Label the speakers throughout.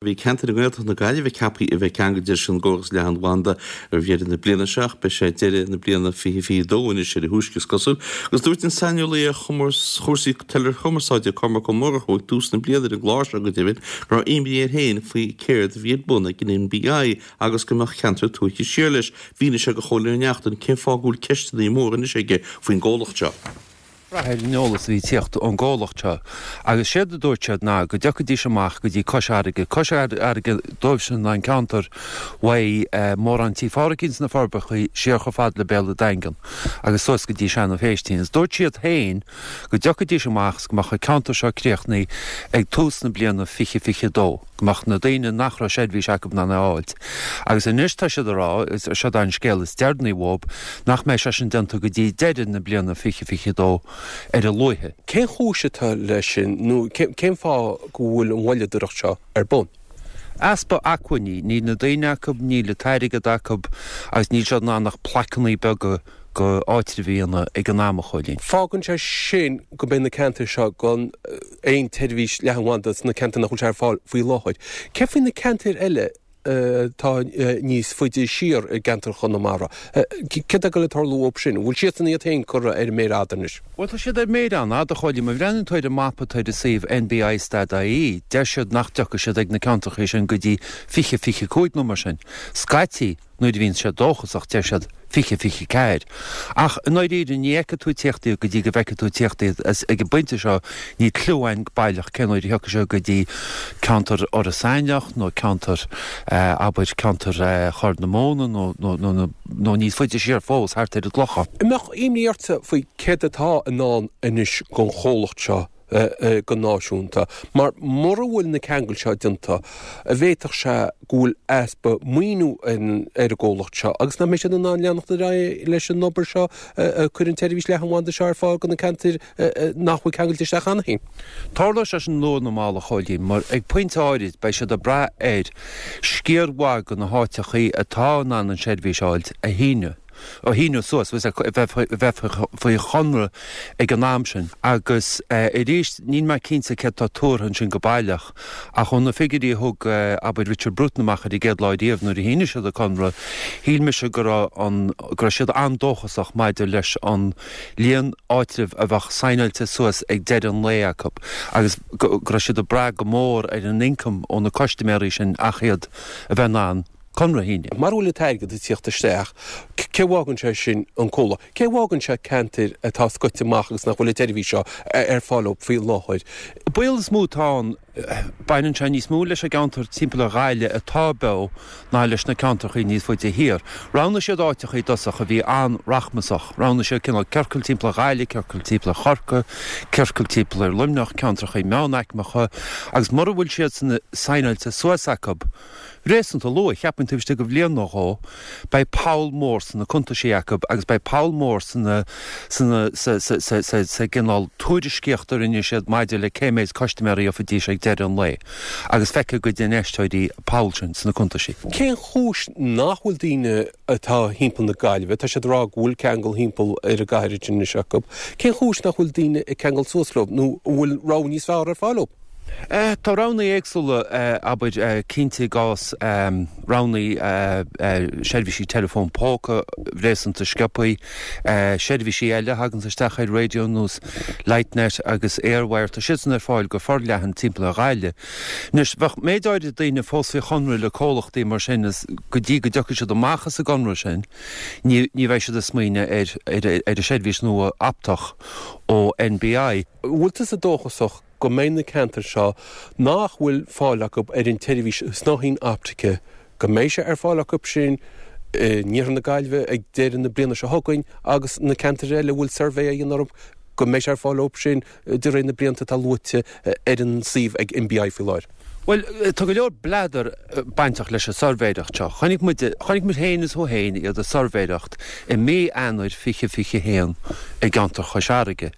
Speaker 1: Bhí ceantair i nGaeltacht na Gaillimhe ceaptha a bheith ceangailte leis an gcóras leathanbhanda roimh dheireadh na bliana seo ach beidh sé deireadh na bliana 2022 anois ar a thúisce is cosúil. Agus dúirt an saineolaí ar chúrsaí teileachumarsáide Cormac Ó Murchú ag tús na bliana ar an gclár seo go deimhin go raibh imní air féin faoi céard a bhí ar bun ag an NBI agus go mbeadh ceantair tuaithe siar leis. Mhínigh sé do Chóilín Ó Neachtain cén fáth go bhfuil ceisteanna móra anois aige faoin gcomhlacht seo.
Speaker 2: brath ar an eolas a bhí ag tíocht ón gcomhlacht seo agus séard a dúirt siad ná go dtiocfaidís amach go dtí Cois Fharraige, Cois Fharraige dóibhsean ná an ceantar uaidh mórán Tí Phádraicín sna Forbacha siar chomh fada le Béal an Daingin agus suas go dtí Seanadh Phéistín agus dúirt siad féin go dtiocfaidís amach is go mbeadh an ceantar seo críochnaithe ag tús na bliana 2022. go mbeadh na daoine nach raibh seirbhís acu in ann é a fháilt. Agus anois tá siad ag rá, is seod é an scéal is deireanaí uathu, nach mbeidh sé sin déanta go dtí deireadh na bliana 2022 ar a luaithe.
Speaker 3: Cén chúis atá leis sin nó cén fáth go bhfuil an mhoilleadóireacht seo ar bun?
Speaker 2: Easpa acmhainní, níl na daoine acu, níl an t-airgead acu agus níl siad in ann ach plaiceanna beaga go áitribh a dhéanamh ag an am, a Chóilín.
Speaker 3: Fágann sé sin go mbeidh na ceantair seo gan aon tseirbhís leathanbhanda sna ceantair nach bhfuil sé ar fáil faoi láthair. Céard faoi na ceantair eile atá níos faide siar i gceantar Chonamara? Céard atá ag dul ag tarlú dóibh sin? An bhfuil siadsan iad féin curtha ar an méar fhada anois?
Speaker 2: Bhuel, tá siad ar méar an-fhada, a Chóilín. Má bhreathnaíonn tú ar an mapa atá ar an suíomh nbi.stat.ie, deir siad nach dtiocfaidh siad ag na ceantracha sin go dtí 2025 nó mar sin. Scaití, Nuair a bhíonn siad dóchasach, deir siad 2024. Ach i ndáiríre, ní fheicfidh tú ag tíocht iad go dtí go bhfeicfidh tú ag tíocht iad. Ag an bpointe seo, níl cliú againn go baileach cén uair a thiocfaidh siad go dtí ceantar Iorras Aithneach nó ceantar, abair, ceantar Chorr na Móna nó, nó, nó, nó níos faide siar fós, thart ar an gClochán.
Speaker 3: An mbeadh imní ortsa faoi céard atá i ndán anois don chomhlacht seo go náisiúnta, mar mura bhfuil na ceangail seo déanta, an bhféadfadh sé go bhfuil easpa maoiniú ar an gcomhlacht seo agus nach mbeidh siad in ann leanacht ar aghaidh leis an obair seo cur an tseirbhís leathanbhanda seo ar fáil do na ceantair nach bhfuil ceangailte isteach cheana féin.
Speaker 2: Tarlóidh sé sin luath nó mall, a Chóilín, mar ag pointe áirid beidh siad ag brath ar sciar mhaith de na háiteachaí atá in ann an tseirbhís a fháilt a shíneadh. a shíniú suas, a bheith faoi chonradh ag an am sin. Agus arís, níl mé cinnte céard atá tuartha ansin go baileach, ach ó na figiúirí a thug, abair, Richard Bruton amach ar an gcéad lá riamh nuair a shínigh siad an conradh, shíl mise go raibh an, go raibh siad an-dóchasach maidir leis an líon áitreabh a bheadh saighneáilte suas ag deireadh an lae acu agus go raibh siad ag brath go mór ar an ioncam ó na custaiméirí sin ach iad a bheith in ann conradh a shíniú.
Speaker 3: Mara bhfuil an t-airgead ag tíocht isteach, cé bhfágann sé sin an comhlacht? Cé bhfágann sé ceantair atá scoite amach agus nach bhfuil an tseirbhís seo ar fáil dóibh faoi láthair?
Speaker 2: An baol is mó atá ann, baineann sé níos mó leis an gceantar timpeall ar Ghaillimh atá beo ná leis na ceantrachaí níos faide thiar. Roghnaigh siad áiteachaí i dtosach a bhí an-rachmasach. Roghnaigh siad cineál ciorcal timpeall ar Ghaillimh, ciorcal timpeall ar Chorcaigh, ciorcal timpeall ar Luimneach, ceantrachaí meánaicmeacha agus mura bhfuil siadsan saighneáilte suas acu, Réasúnta luath, cheapfainn taobh istigh de bhliain nó dhó, beidh poll mór sna cuntaisí acu agus beidh poll mór sna, sna, sa, sa, sa, sa, sa gcineál tuairiscíocht a rinne siad maidir le cé méid custaiméirí a gheobhaidís ag deireadh an lae agus feicfidh a gcuid infheisteoirí an poll sin sna cuntaisí.
Speaker 3: Cén chúis nach bhfuil daoine atá thimpeall na Gaillimhe, tá siad ag rá go bhfuil ceangal thimpeall ar an gcathair anois acu, cén chúis nach bhfuil daoine ag ceangal suas leo nó an bhfuil rogha níos fearr ar fáil dóibh?
Speaker 2: Tá roghanna éagsúla, abair, cinnte i gcás roghanna seirbhísí teileafóin póca réasúnta sciobthaí, seirbhísí eile a thaganns isteach ar raidió nós Lightnet agus Airwire, tá siadsan ar fáil go forleathan timpeall ar Ghaillimh. Anois, bheadh méid áirid daoine fós faoi chonradh le comhlachtaí mar sin is go dtí go dtiocfaidh siad amach as an gconradh sin, ní bheidh siad ag smaoineamh ar ar an seirbhís nua optach ó NBI.
Speaker 3: An bhfuil tusa dóchasach go mbeidh na ceantair seo nach bhfuil fáil acu ar an tseirbhís snáithín optaice, go mbeidh sé ar fáil acu sin in iarthar na Gaillimhe ag deireadh na bliana seo chugainn agus na ceantair eile a bhfuil suirbhé á dhéanamh orthu, go mbeidh sé ar fáil dóibh sin de réir na blianta atá luaite ar an suíomh ag NBI faoi láthair.
Speaker 2: Bhuel, tá go leor bleadar bainteach leis an suirbhéireacht seo. Chonaic muid, chonaic muid féin is thú féin iad ag suirbhéireacht i mí Eanáir 2021 i gceantar Chois Fharraige.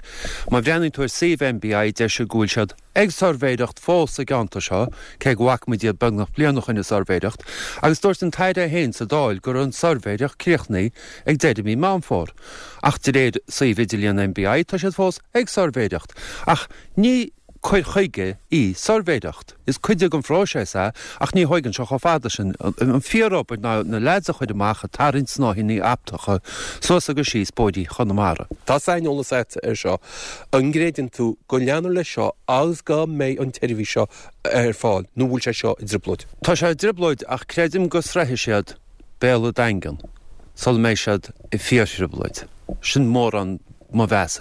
Speaker 2: Má bhreathnaíonn tú ar suíomh NBI deir siad go bhfuil siad ag suirbhéireacht fós sa gceantar seo, cé go bhfaca muid iad beagnach bliain ó shoin ag suirbhéireacht, agus dúirt an tAire é féin sa Dáil go raibh an suirbhéireacht críochnaithe ag deireadh mí Meán Fómhair. Ach de réir suíomh idirlíon NBI tá siad fós ag suirbhéireacht. Ach ní. cur chuige í suirbhéireacht. Is cuid den phróiseas é ach ní thóigeann sé chomh fada sin. An fíoróbair ná na leaids a chur amach ag tarraingt snáithíní optacha suas agus síos bóithrí Chonamara.
Speaker 3: Tá saineolas agat ar seo. An gcreideann tú go leanfar leis seo agus go mbeidh an tseirbhís seo ar fáil nó bhfuil sé seo i dtrioblóid?
Speaker 2: Tá sé i dtrioblóid ach creidim go sroichfidh siad béal an daingin sula mbeidh siad i fíorthrioblóid. Sin mórán mo mheas air.